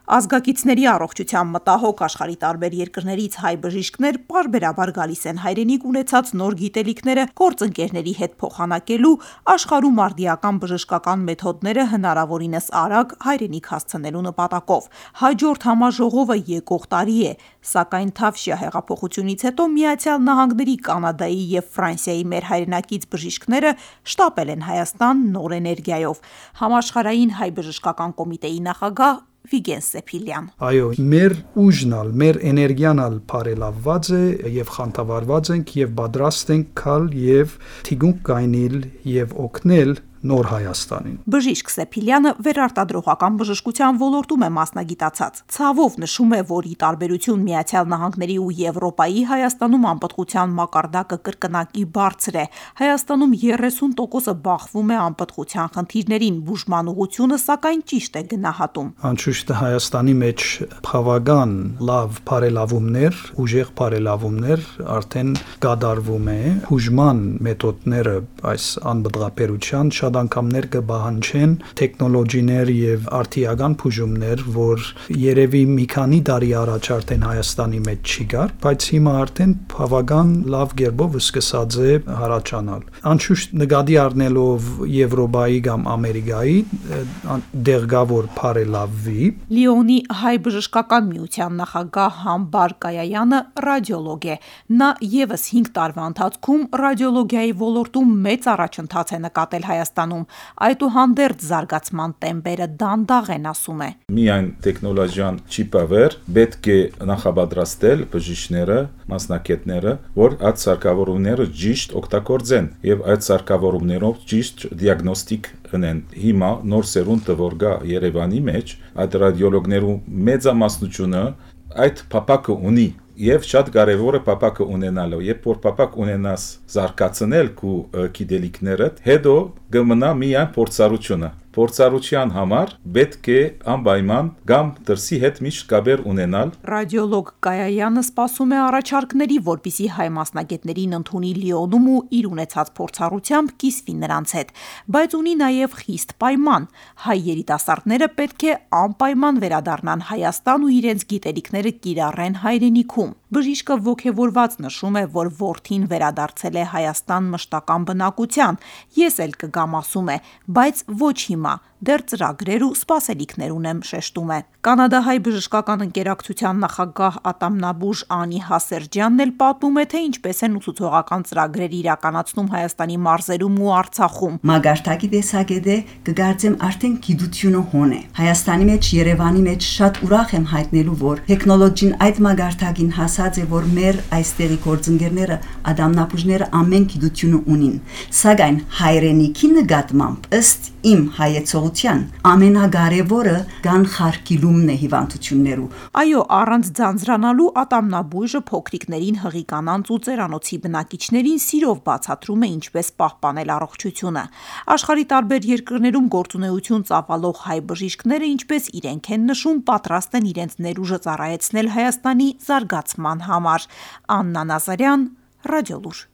Ազգակիցների առողջության մտահոգ աշխարհի տարբեր երկրներից հայ բժիշկներ պարբերաբար գալիս են հայրենիք ունեցած նոր գիտելիքները գործընկերների հետ փոխանակելու, աշխարհում արդիական բժշկական մեթոդները հնարավորինս արագ հայրենիք հասցնելու նպատակով։ Հաջորդ համաժողովը եկող տարի է, սակայն Թավշյա հեղափոխությունից հետո Միացյալ Նահանգների, Կանադայի և Ֆրանսիայի մեր հայրենակից բժիշկները շտապել են Հայաստան նոր էներգիայով։ Համաշխարհային հայ բժշկական կոմիտեի նախագահ Վիգեն Սեփիլյան: Այո, մեր ուժնալ, մեր էներգիանալ բարելավված է եւ խանդավառված ենք եւ պատրաստ ենք գալ եւ թիկունք գայնել եւ օգնել նոր Հայաստանին։ Բժիշկ Սեփիլյանը վերարտադրողական բժշկության ոլորտում է մասնագիտացած։ Ցավով նշում է, որ ի տարբերություն Միացյալ Նահանգների ու Եվրոպայի, Հայաստանում անպտղության մակարդակը կրկնակի բարձր է։ Հայաստանում 30%-ը բախվում է անպտղության խնդիրներին, բուժման ուղղությունը սակայն ճիշտ է գնահատում։ Անշուշտ Հայաստանի մեջ բավական լավ բարելավումներ, ուժեղ բարելավումներ արդեն կատարվում է։ Բուժման մեթոդները այս անպտղաբերության շատ անգամներ կպահանջեն տեխնոլոգիներ եւ արդիական բուժումներ, որ երևի մի քանի տարի առաջ արդեն Հայաստանի մեջ չի կար, բայց հիմա արդեն բավական լավ կերպով սկսած է հարաճանալ։ Անշուշտ նկատի առնելով Եվրոպայի կամ Ամերիկայի դեղգավոր բարելավվի։ Լիոնի հայ բժշկական միության նախագահ Համբար Կայայանը ռադիոլոգ է։ Նա եւս 5 տարվա ընթացքում ռադիոլոգիայի ոլորտում մեծ առաջընթաց է նկատել Հայաստանում, այդուհանդերձ զարգացման տեմպերը դանդաղ են, ասում է։ Միայն տեխնոլոգիան չի բավեր, պետք է նախապատրաստել բժիշկները, մասնակիցները, որ այդ սարքավորումները ճիշտ օգտագործեն եւ այդ սարքավորումներով ճիշտ դիագնոստիկ ունեն։ Հիմա նոր սերունդը որ գա Երևանի մեջ, այդ ռադիոլոգներու մեծամասնությունը այդ փապակը ունի։ Եվ շատ կարևոր է փապակը ունենալը, երբ որ փապակ ունենաս զարգացնել քու գիտելիքներդ, հետո կմնա միայն փորձառությունը։ Փորձառության համար պետք է անպայման կամ դրսի հետ միշտ կապեր ունենալ։ Ռադիոլոգ Կայայանը սպասում է առաջարկների, որպիսի հայ մասնագետներին ընդունի Լիոնում ու իր ունեցած փորձառությամբ կիսվի նրանց հետ, բայց ունի նաև խիստ պայման։ Հայ երիտասարդները պետք է անպայման վերադառնան Հայաստան ու իրենց գիտելիքները կիրառեն հայրենիքում։ Բժիշկը ոգևորված նշում է, որ որդին վերադարձել է Հայաստան մշտական բնակության։ Ես էլ կգամ, ասում է, բայց ոչ հիմա, դեռ ծրագրեր ու սպասելիքներ ունեմ, շեշտում է։ Կանադահայ բժշկական ընկերակցության նախագահ ատամնաբուժ Անի Հասերջյանն էլ պատմում է, թե ինչպես են ուսուցողական ծրագրեր իրականացնում Հայաստանի մարզերում ու Արցախում։ Մագարտակի տեսակետը կգործեմ արդեն գիտությունը հոն է։ Հայաստանի մեջ, Երևանի մեջ շատ ուրախ եմ հայտնելու, որ տեխնոլոգին այդ մագարտակին հասած է, որ մեր այստեղի գործընկերները, ատամնաբուժները ամեն գիտությունը ունին։ Սակայն հայրենիքի նկատմամբ ըստ իմ հայեցողության ամենակարևորը կանխարգելումն է հիվանդություններու։ Այո, առանց ձանձրանալու ատամնաբույժը փոքրիկներին, հղիկանանց ու ծերանոցի բնակիչներին սիրով բացատրում է ինչպես պահպանել առողջությունը։ Աշխարհի տարբեր երկրներում գործունեություն ծավալող հայ բժիշկները, ինչպես իրենք են նշում, պատրաստ են իրենց ներուժը ծառայեցնել Հայաստանի զարգացման համար։ Աննա Նազարյան, Ռադիոլուր։